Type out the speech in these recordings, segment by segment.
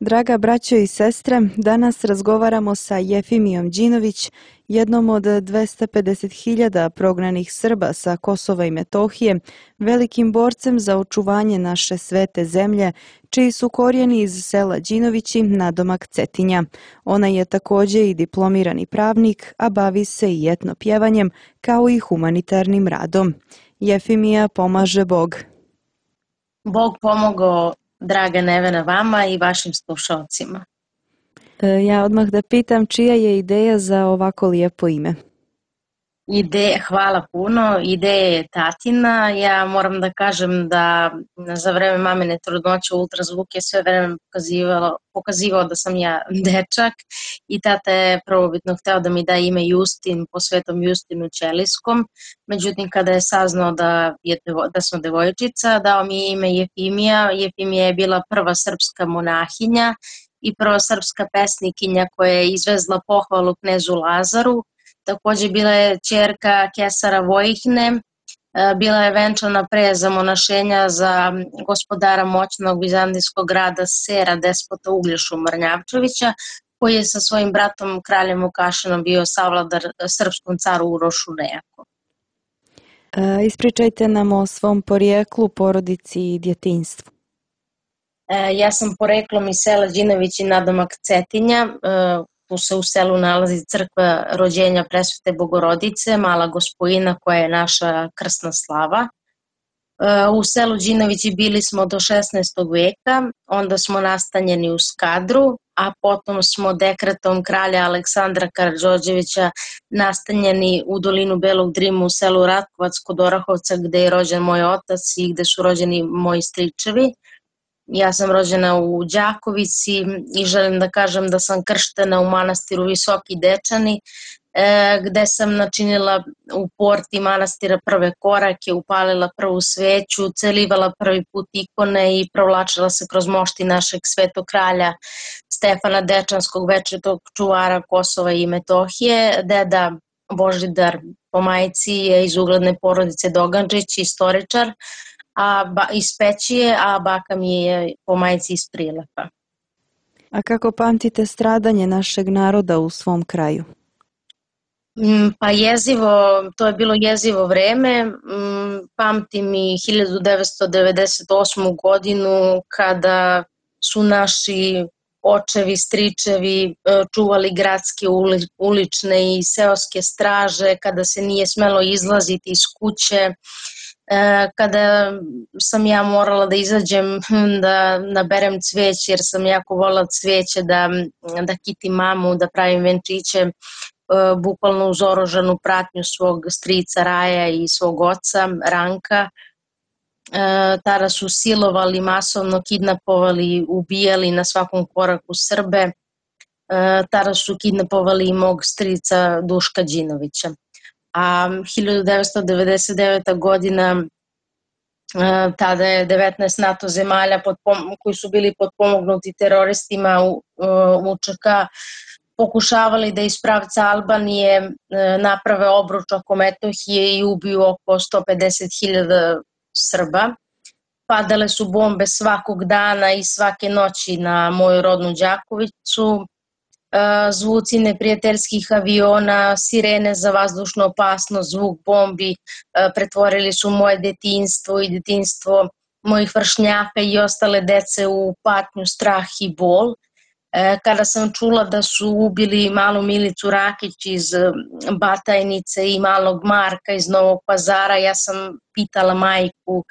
Draga braćo i sestre, danas razgovaramo sa Jefimijom Đinović, jednom od 250.000 prognanih Srba sa Kosova i Metohije, velikim borcem za očuvanje naše svete zemlje, čiji su korijeni iz sela Đinovići, nadomak Cetinja. Ona je također i diplomirani pravnik, a bavi se i etnopjevanjem, kao i humanitarnim radom. Jefimija, pomaže Bog. Bog pomogao, draga Nevena, vama i vašim slušalcima. Ja odmah da pitam, čija je ideja za ovako lijepo ime? Hvala puno. Ideja je tatina. Ja moram da kažem da za vreme mamine trudnoće ultrazvuk je sve vreme pokazivao da sam ja dečak i tata je prvobitno hteo da mi da ime Justin po svetom Justinu Ćelijskom. Međutim, kada je saznao da sam devojčica, dao mi je ime Jefimija. Jefimija je bila prva srpska monahinja i prva srpska pesnikinja koja je izvezla pohvalu knezu Lazaru. Također bila je ćerka Kesara Vojihne, bila je venčana pre zamonašenja za gospodara moćnog vizantijskog grada Sera, despota Uglješu Mrnjavčevića, koji je sa svojim bratom kraljem Vukašinom bio savladar srpskom caru Urošu Nejako. Ispričajte nam o svom porijeklu, porodici i djetinjstvu. Ja sam poreklom iz sela Đinovići, nadomak Cetinja. Tu se u selu nalazi crkva rođenja Presvete Bogorodice, Mala Gospojina koja je naša krsna slava. U selu Đinovići bili smo do 16. veka, onda smo nastanjeni u Skadru, a potom smo dekretom kralja Aleksandra Karađorđevića nastanjeni u dolinu Belog Drimu u selu Ratkovac kod Orahovca gde je rođen moj otac i gde su rođeni moji stričevi. Ja sam rođena u Đakovici i želim da kažem da sam krštena u manastiru Visoki Dečani, gde sam načinila u porti manastira prve korake, upalila prvu sveću, celivala prvi put ikone i provlačila se kroz mošti našeg svetog kralja Stefana Dečanskog, večitog čuvara Kosova i Metohije. Deda Božidar po majici je iz ugledne porodice Dogandžić, istoričar, iz Pećije, a baka mi je po majici iz Prilepa. A kako pamtite stradanje našeg naroda u svom kraju? Pa jezivo, to je bilo jezivo vreme. Pamtim i 1998. godinu kada su naši očevi, stričevi čuvali gradske ulične i seoske straže, kada se nije smelo izlaziti iz kuće, kada sam ja morala da izađem da naberem cveće jer sam jako voljela cveće, da kitim mamu, da pravim venčiće, bukvalno uz oružanu pratnju svog strica Raja i svog oca Ranka. Tada su silovali, masovno kidnapovali, ubijali na svakom koraku Srbe. Tada su kidnapovali i mog strica Duška Đinovića. A 1999. godina, tada je 19 NATO zemalja koji su bili potpomognuti teroristima UČK pokušavali da iz pravca Albanije naprave obruč oko Metohije i ubiju oko 150.000 Srba. Padale su bombe svakog dana i svake noći na moju rodnu Đakovicu. Zvuci neprijateljskih aviona, sirene za vazdušnu opasnost, zvuk bombi pretvorili su moje detinjstvo i detinjstvo mojih vršnjaka i ostale dece u patnju, strah i bol. Kada sam čula da su ubili malu Milicu Rakić iz Batajnice i malog Marka iz Novog Pazara, ja sam pitala majku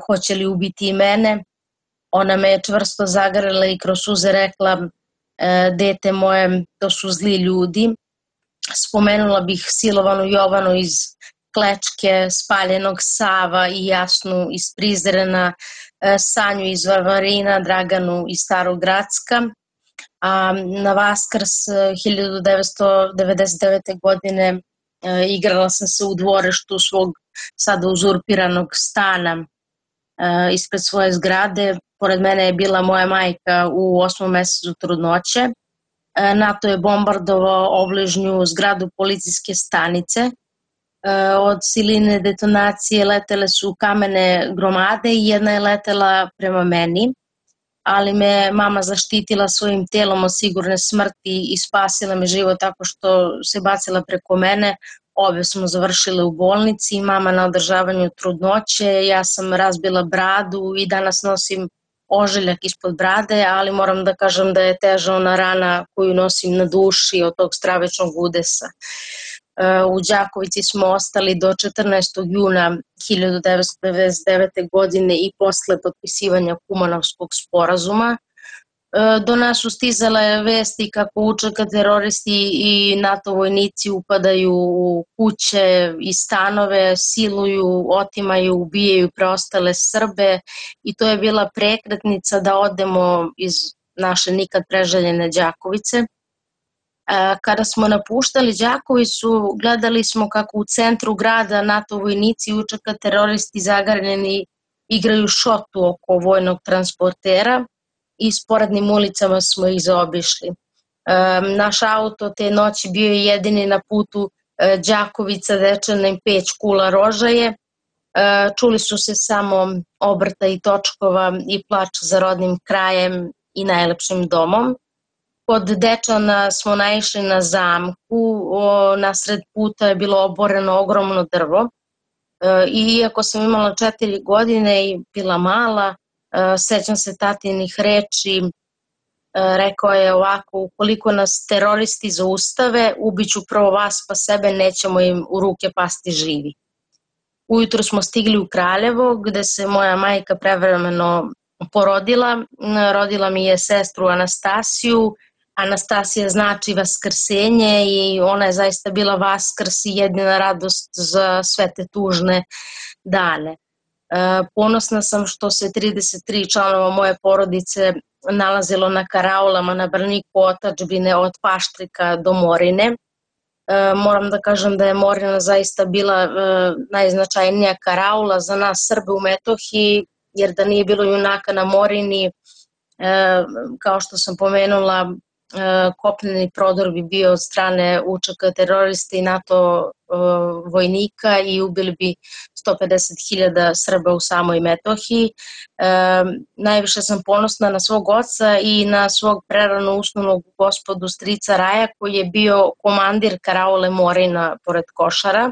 hoće li ubiti i mene. Ona me je čvrsto zagrlela i kroz suze rekla: dete moje, to su zli ljudi. Spomenula bih silovanu Jovanu iz Klečke, spaljenog Sava i Jasnu iz Prizrena, Sanju iz Varvarina, Draganu iz Starogradska. A na Vaskrs 1999. godine igrala sam se u dvorištu svog sada uzurpiranog stana ispred svoje zgrade. Pored mene je bila moja majka u 8. mesecu trudnoće. NATO je bombardovao obližnju zgradu policijske stanice. Od siline detonacije letele su kamene gromade i jedna je letela prema meni. ali me mama zaštitila svojim telom od sigurne smrti i spasila mi život tako što se bacila preko mene. Obe smo završile u bolnici, mama na održavanju trudnoće, ja sam razbila bradu i danas nosim ožiljak ispod brade, ali moram da kažem da je teža ona rana koju nosim na duši od tog stravičnog udesa. U Đakovici smo ostali do 14. juna 1999. godine i posle potpisivanja Kumanovskog sporazuma. Do nas su stizale vesti kako UČK teroristi i NATO vojnici upadaju u kuće i stanove, siluju, otimaju, ubijaju preostale Srbe i to je bila prekretnica da odemo iz naše nikad preželjene Đakovice. Kada smo napuštali Đakovicu, gledali smo kako u centru grada NATO vojnici i UČK teroristi zagrljeni igraju šotu oko vojnog transportera i sporednim ulicama smo ih zaobišli. Naš auto te noći bio je jedini na putu Đakovica, Dečanin, Peć, Kula, Rožaje. Čuli su se samo obrta i točkova i plač za rodnim krajem i najlepšim domom. Kod Dečana smo naišli na zamku, nasred puta je bilo oboreno ogromno drvo. Iako sam imala 4 godine i bila mala, sećam se tatinih reči, rekao je ovako: ukoliko nas teroristi zaustave, ubiću prvo vas pa sebe, nećemo im u ruke pasti živi. Ujutro smo stigli u Kraljevo, gde se moja majka prevremeno porodila. Rodila mi je sestru Anastasiju. Anastasija znači vaskrsenje i ona je zaista bila vaskrs i jedina radost za sve te tužne dane. Ponosna sam što se 33 članova moje porodice nalazilo na karaulama na braniku otadžbine od Paštrika do Morine. Moram da kažem da je Morina zaista bila najznačajnija karaula za nas Srbe u Metohiji, jer da nije bilo junaka na Morini, kao što sam pomenula, kopneni prodor bi bio od strane UČK terorista i NATO vojnika i ubili bi 150.000 Srba u samoj Metohiji. Najviše sam ponosna na svog oca i na svog prerano usnulog gospodu strica Raja, koji je bio komandir karaule Morina pored Košara.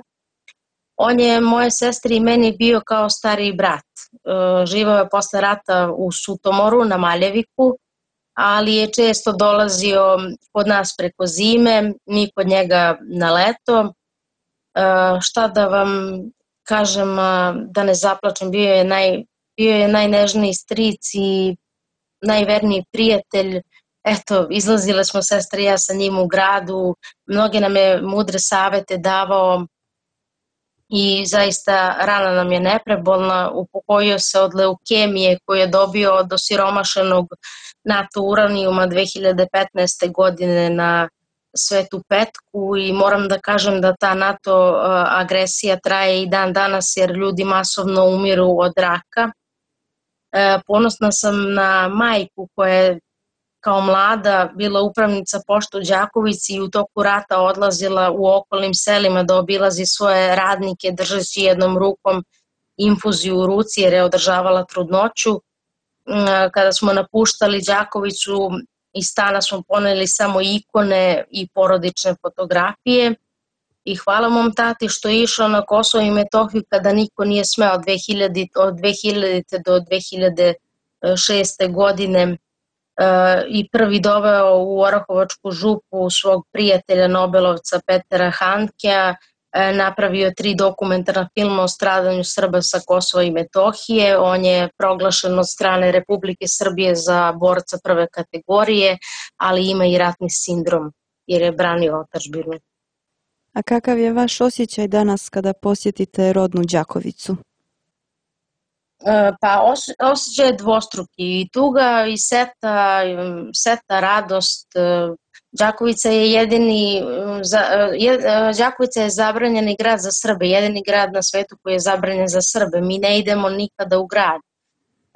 On je moje sestri i meni bio kao stariji brat. Živao je posle rata u Sutomoru na Maljeviku, ali je često dolazio kod nas preko zime, mi kod njega na leto. Šta da vam kažem, da ne zaplačem, bio je najnežniji stric i najverniji prijatelj. Eto, izlazile smo sestre i ja sa njim u gradu, mnoge nam je mudre savete davao i zaista rana nam je neprebolna. Upokojio se od leukemije koju je dobio od osiromašenog NATO uranijuma 2015. godine na Svetu Petku i moram da kažem da ta NATO agresija traje i dan danas jer ljudi masovno umiru od raka. Ponosna sam na majku koja je kao mlada bila upravnica pošte u Đakovici i u toku rata odlazila u okolnim selima da obilazi svoje radnike držeći jednom rukom infuziju u ruci jer je održavala trudnoću. Kada smo napuštali Đakovicu, iz stana smo poneli samo ikone i porodične fotografije i hvala mom tati što je išao na Kosovo i Metohiju kada niko nije smeo od 2000. do 2006. godine i prvi doveo u Orahovačku župu svog prijatelja Nobelovca Petera Handkea, napravio 3 dokumentarna filma o stradanju Srba sa Kosova i Metohije. On je proglašen od strane Republike Srbije za borca prve kategorije, ali ima i ratni sindrom jer je branio otadžbinu. A kakav je vaš osjećaj danas kada posjetite rodnu Đakovicu? Pa osjećaj je dvostruki, i tuga i seta radost. Đakovica je zabranjeni grad za Srbe, jedini grad na svetu koji je zabranjen za Srbe. Mi ne idemo nikada u grad.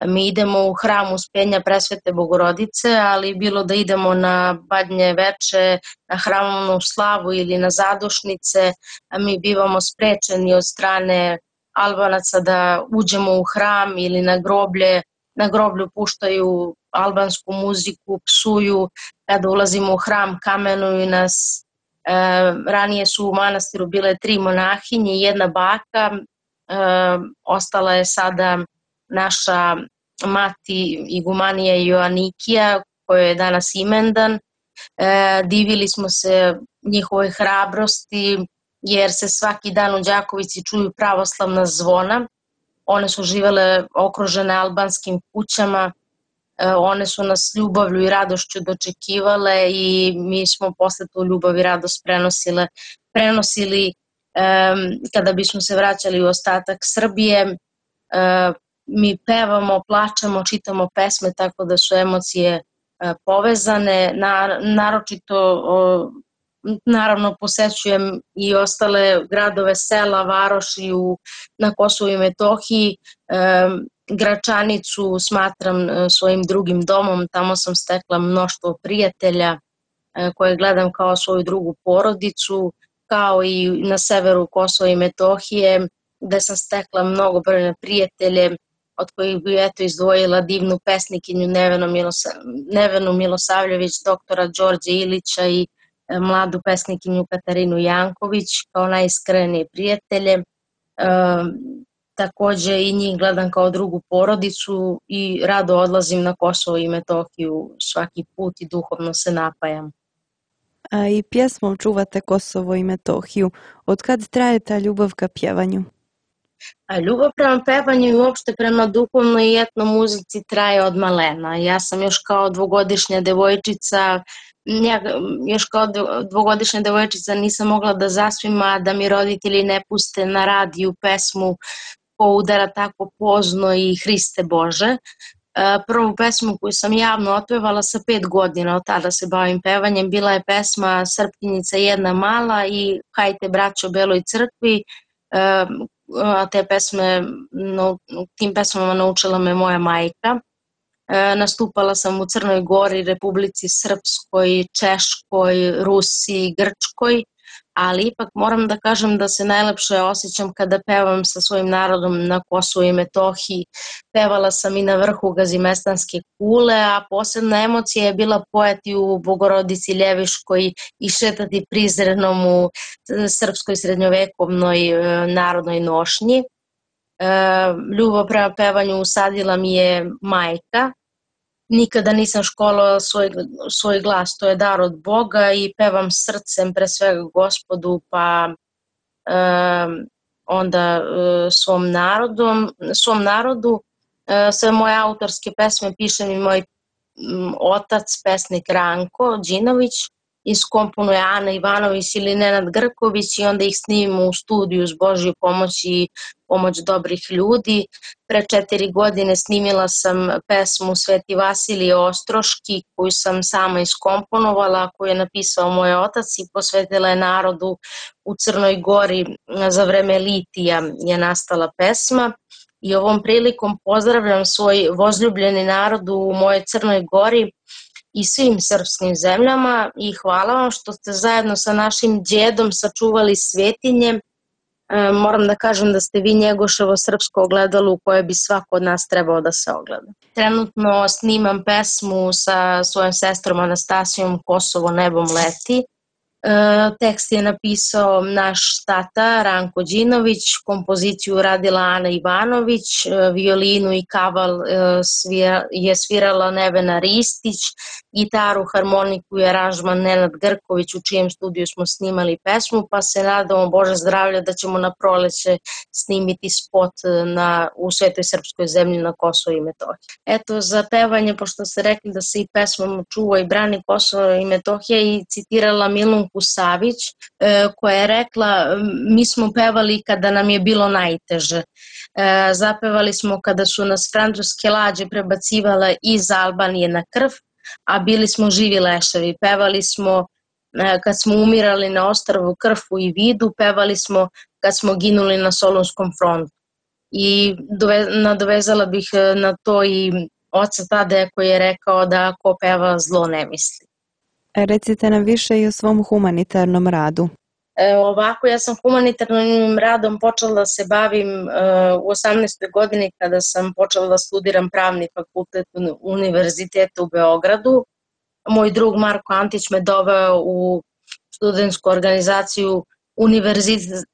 Mi idemo u hram Uspenja Presvete Bogorodice, ali bilo da idemo na Badnje veče, na hramovnu slavu ili na zadušnice, a mi bivamo sprečeni od strane Albanaca da uđemo u hram ili na groblje. Na groblju puštaju albansku muziku, psuju, kada ulazimo u hram kamenuju nas. Ranije su u manastiru bile 3 monahinje i 1 baka, ostala je sada naša mati igumanija Joanikija, koja je danas imendan. Divili smo se njihovoj hrabrosti, jer se svaki dan u Đakovici čuju pravoslavna zvona. One su živele okružene albanskim kućama, one su nas ljubavlju i radošću dočekivale i mi smo posle tu ljubav i radost prenosili kada bismo se vraćali u ostatak Srbije. Mi pevamo, plačemo, čitamo pesme, tako da su emocije povezane. Naročito, naravno, posećujem i ostale gradove, sela, varoši na Kosovu i Metohiji. Gračanicu smatram svojim drugim domom, tamo sam stekla mnoštvo prijatelja koje gledam kao svoju drugu porodicu, kao i na severu Kosova i Metohije, gde sam stekla mnogobrojne prijatelje, od kojih bi izdvojila divnu pesnikinju Nevenu Milosavljević, doktora Đorđe Ilića i mladu pesnikinju Katarinu Janković kao najiskrenije prijatelje. Takođe i njih gledam kao drugu porodicu i rado odlazim na Kosovo i Metohiju svaki put i duhovno se napajam. A i pjesmom čuvate Kosovo i Metohiju. Od kad traje ta ljubav ka pjevanju? Ljubav prema pevanju i uopšte prema duhovnoj i etno muzici traje od malena. Ja sam još kao dvogodišnja devojčica nisam mogla da zaspim, a da mi roditelji ne puste na radiju pesmu Ko udara tako pozno i Hriste Bože. Prvu pesmu koju sam javno otpevala sa 5 godina, od tada se bavim pevanjem, bila je pesma Srpkinjica jedna mala i Hajte braćo Beloj crkvi. Tim pesmama naučila me moja majka. Nastupala sam u Crnoj Gori, Republici Srpskoj, Češkoj, Rusiji, Grčkoj, ali ipak moram da kažem da se najlepše osjećam kada pevam sa svojim narodom na Kosovu i Metohiji. Pevala sam i na vrhu Gazimestanske kule, a posebna emocija je bila pojati u Bogorodici Ljeviškoj i šetati prizrenom u srpskoj srednjovekovnoj narodnoj nošnji. Ljubav prema pevanju usadila mi je majka. Nikada nisam školovala svoj glas, to je dar od Boga i pevam srcem pre svega Gospodu, pa onda svom narodu. Sve moje autorske pesme piše mi moj otac, pesnik Ranko Đinović, iskomponuje Ana Ivanović ili Nenad Grković i onda ih snimimo u studiju s Božju pomoć i pomoć dobrih ljudi. Pre 4 godine snimila sam pesmu Sveti Vasilije Ostroški koju sam sama iskomponovala, koju je napisao moj otac i posvetila je narodu u Crnoj Gori. Za vreme litija je nastala pesma i ovom prilikom pozdravljam svoj vozljubljeni narod u mojoj Crnoj Gori i svim srpskim zemljama i hvala vam što ste zajedno sa našim djedom sačuvali svetinje. Moram da kažem da ste vi Njegoševo srpsko ogledalo u koje bi svako od nas trebao da se ogleda. Trenutno snimam pesmu sa svojom sestrom Anastasijom Kosovo nebom leti. Tekst je napisao naš tata Ranko Đinović, kompoziciju radila Ana Ivanović, violinu i kaval je svirala Nevena Ristić, gitaru, harmoniku i aranžman Nenad Grković, u čijem studiju smo snimali pesmu, pa se nadamo Bože zdravlja da ćemo na proleće snimiti spot u Svetoj srpskoj zemlji na Kosovo i Metohiji. Eto, za pevanje, pošto ste rekli da se i pesmom čuva i brani Kosovo i Metohija, i citirala Milunku Savić, koja je rekla: mi smo pevali kada nam je bilo najteže. Zapevali smo kada su nas francuske lađe prebacivale iz Albanije na krv, a bili smo živi leševi. Pevali smo kad smo umirali na ostrvu Krfu i Vidu, pevali smo kad smo ginuli na Solunskom frontu. I nadovezala bih na to i oca Tadeja koji je rekao da ko peva zlo ne misli. Recite nam više i o svom humanitarnom radu. Ovako, ja sam humanitarnim radom počela da se bavim u 18. godini kada sam počela da studiram pravni fakultet Univerziteta u Beogradu. Moj drug Marko Antić me doveo u studentsku organizaciju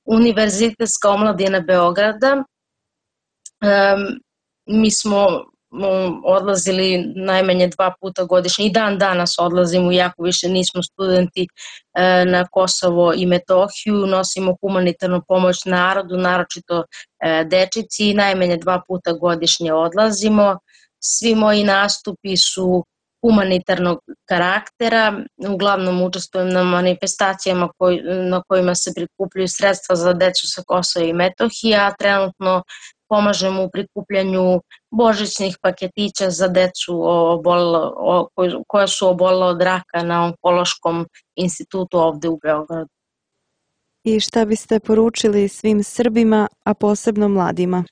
Univerzitetska omladina Beograda. Mi smo odlazili najmanje 2 puta godišnje i dan danas odlazimo, iako više nismo studenti, na Kosovo i Metohiju, nosimo humanitarnu pomoć narodu, naročito dečici, i najmanje 2 puta godišnje odlazimo. Svi moji nastupi su humanitarnog karaktera, uglavnom učestvujem na manifestacijama na kojima se prikupljaju sredstva za decu sa Kosova i Metohije, a trenutno pomažemo u prikupljanju božićnih paketića za decu koja su obolela od raka na Onkološkom institutu ovde u Beogradu. I šta biste poručili svim Srbima, a posebno mladima?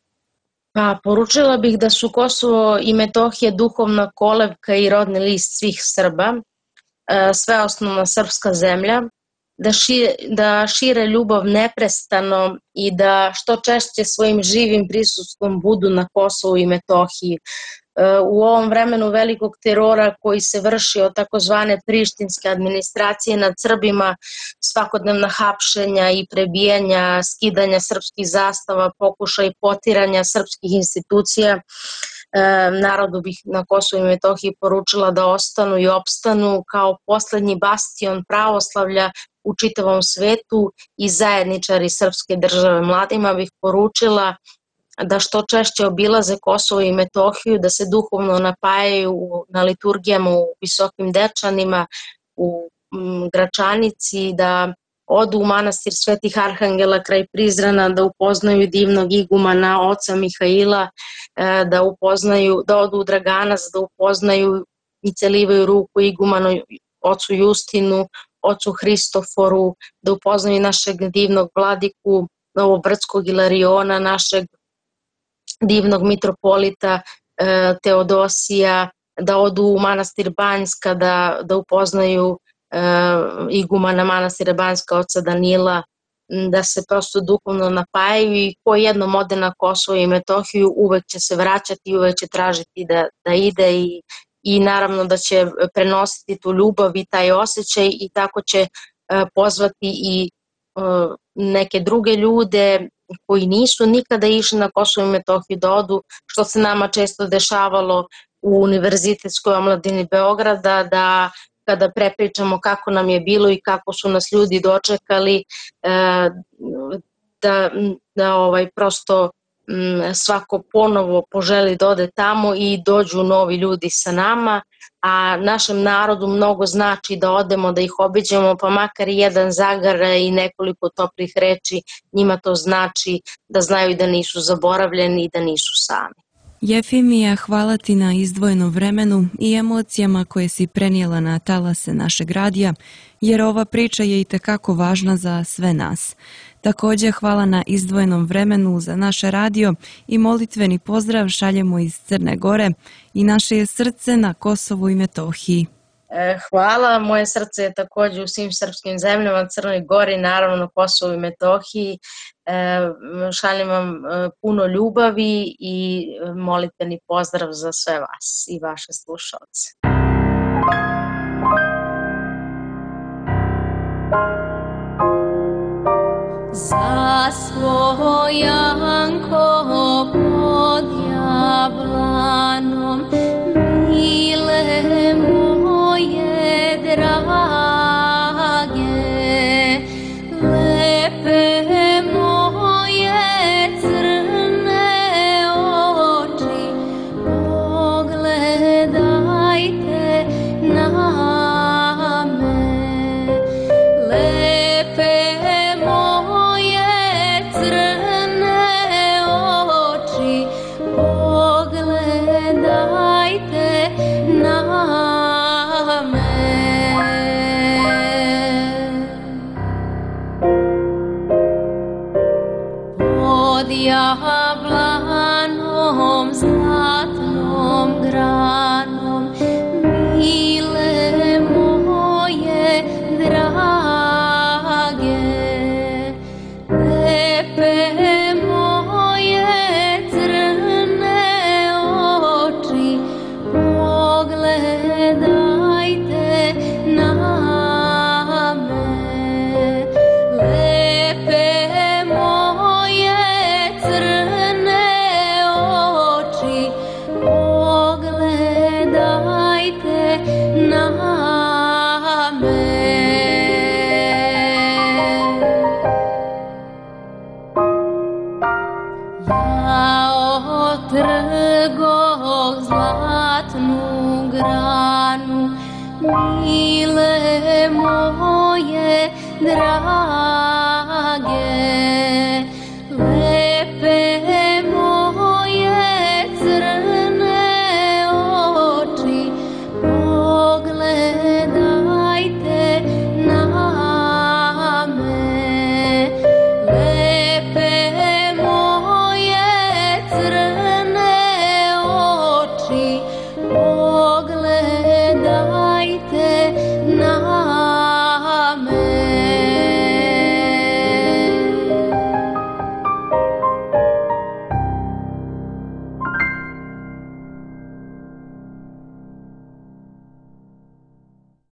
Pa, poručila bih da su Kosovo i Metohija duhovna kolevka i rodni list svih Srba, sveosnovna srpska zemlja, da šire ljubav neprestano i da što češće svojim živim prisustvom budu na Kosovu i Metohiji. U ovom vremenu velikog terora koji se vrši od takozvane prištinske administracije nad Srbima, svakodnevna hapšenja i prebijanja, skidanja srpskih zastava, pokušaj potiranja srpskih institucija, narodu bih na Kosovu i Metohiji poručila da ostanu i opstanu kao poslednji bastion pravoslavlja u čitavom svetu i zajedničari srpske države. Mladima bih poručila da što češće obilaze Kosovo i Metohiju, da se duhovno napajaju na liturgijama u Visokim Dečanima, u Gračanici, da odu u manastir Svetih Arhangela kraj Prizrena, da upoznaju divnog igumana oca Mihaila, da odu u Draganac, da upoznaju i celivaju ruku igumanu ocu Justinu, ocu Hristoforu, da upoznaju našeg divnog vladiku Novobrdskog Ilariona, našeg divnog mitropolita Teodosija, da odu u manastir Banjska, da upoznaju igumana manastira Banjska oca Danila, da se prosto duhovno napajaju, i ko jednom ode na Kosovo i Metohiju uvek će se vraćati i uvek će tražiti da ide i naravno da će prenositi tu ljubav i taj osjećaj, i tako će pozvati i neke druge ljude koji nisu nikada išli na Kosovo i Metohiju da odu, što se nama često dešavalo u Univerzitetskoj omladini Beograda, da kada prepričamo kako nam je bilo i kako su nas ljudi dočekali, da prosto svako ponovo poželi da ode tamo i dođu novi ljudi sa nama, a našem narodu mnogo znači da odemo, da ih obiđemo, pa makar i jedan zagraj i nekoliko toplih reči, njima to znači da znaju da nisu zaboravljeni i da nisu sami. Jefimija, hvala ti na izdvojenom vremenu i emocijama koje si prenijela na talase našeg radija, jer ova priča je itekako važna za sve nas. Također hvala na izdvojenom vremenu za naš radio i molitveni pozdrav šaljemo iz Crne Gore i naše je srce na Kosovu i Metohiji. Hvala, moje srce je također u svim srpskim zemljama, Crnoj Gori, naravno Kosovu i Metohiji. Šaljem vam puno ljubavi i molitveni pozdrav za sve vas i vaše slušalce. Za svojanko pod jablanom, mile moje drage, lepe moje crne oči, pogledajte mile moje drage.